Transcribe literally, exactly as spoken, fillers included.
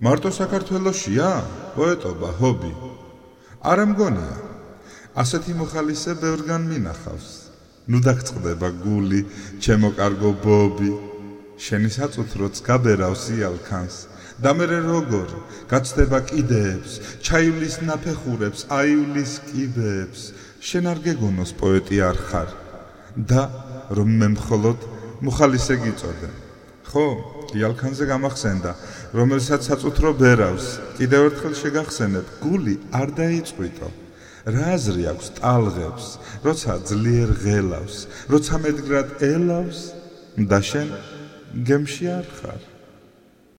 მარტო საქართველოშია პოეტობა ჰობი არ მგონია ასეთი მოხალისე ბევრგან მინახავს ნუ დაგწყდება გული ჩემო კარგო ბობი შენი საწუთროც გაბერავს იალქანს და მე როგორ გაცდება კიდეებს ჩაივლის ნაფეხურებს აივლის კიბეებს შენ არ გეგონოს პოეტი არ ხარ და რომ მე მხოლოდ მოხალისე გიწოდე ხო იალქანზე გამახსენდა რომელსაც საწუთრო ბერავს კიდევ ერთხელ შეგახსენებ გული არ დაიწყვიტო რა აზრი აქვს ტალღებს როცა ძლიერ ღელავს როცა მედგრად ელავს და შენ გემში არ ხარ